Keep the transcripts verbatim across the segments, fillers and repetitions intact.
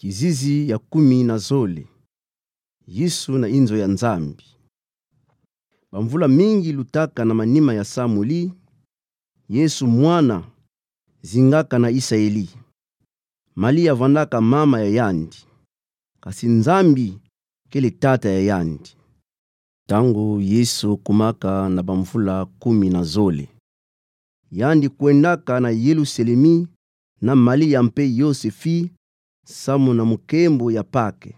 Kizizi ya kumi na zole. Yesu na inzo ya Nzambi. Bamvula mingi lutaka na manima ya Samueli, Yesu mwana zingaka na Isaeli. Malia vandaka mama ya yandi, kasi Nzambi kele tata ya yandi. Ntangu Yesu kumaka na bamvula kumi na zole, yandi kwendaka na Yelusalemi na Malia mpe Yosefi samu na mukembo ya Pake.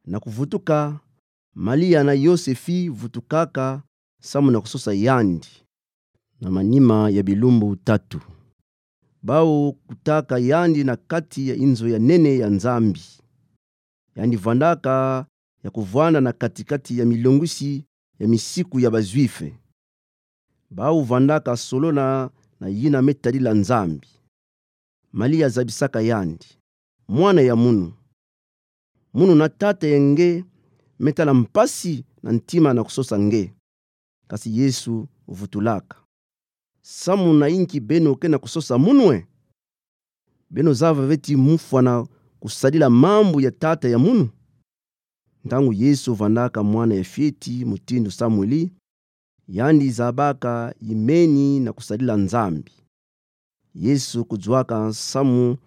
Na kuvutuka, Malia na Yosefi vutukaka samu na kusosa yandi. Na manima ya bilumbu tatu, bau kutaka yandi na kati ya inzo ya nene ya Nzambi. Yandi vandaka ya kuvwanda na kati-kati ya milongwisi ya misiku ya Bajuife. Bau vandaka solona na yina me tadila Nzambi. Malia zabisaka yandi: Mwana ya munu, munu na tata ya nge me tala mpasi na ntima na kusosa nge. Kasi Yesu vutulaka: Samu na inki beno ke na kusosa munu e? Beno zava ve ti mufwana kusadila mambu ya tata ya munu? Ntangu Yesu vandaka mwana ya fieti mutindu Samueli, yandi zabaka yimeni na kusadila Nzambi. Yesu kuzuaka samu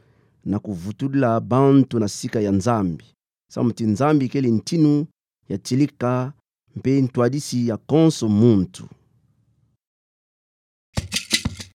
na kuvutulila bantu na sika ya Nzambi, samu ti Nzambi kele ntinu ya tilika mpe ntwadisi ya konso muntu.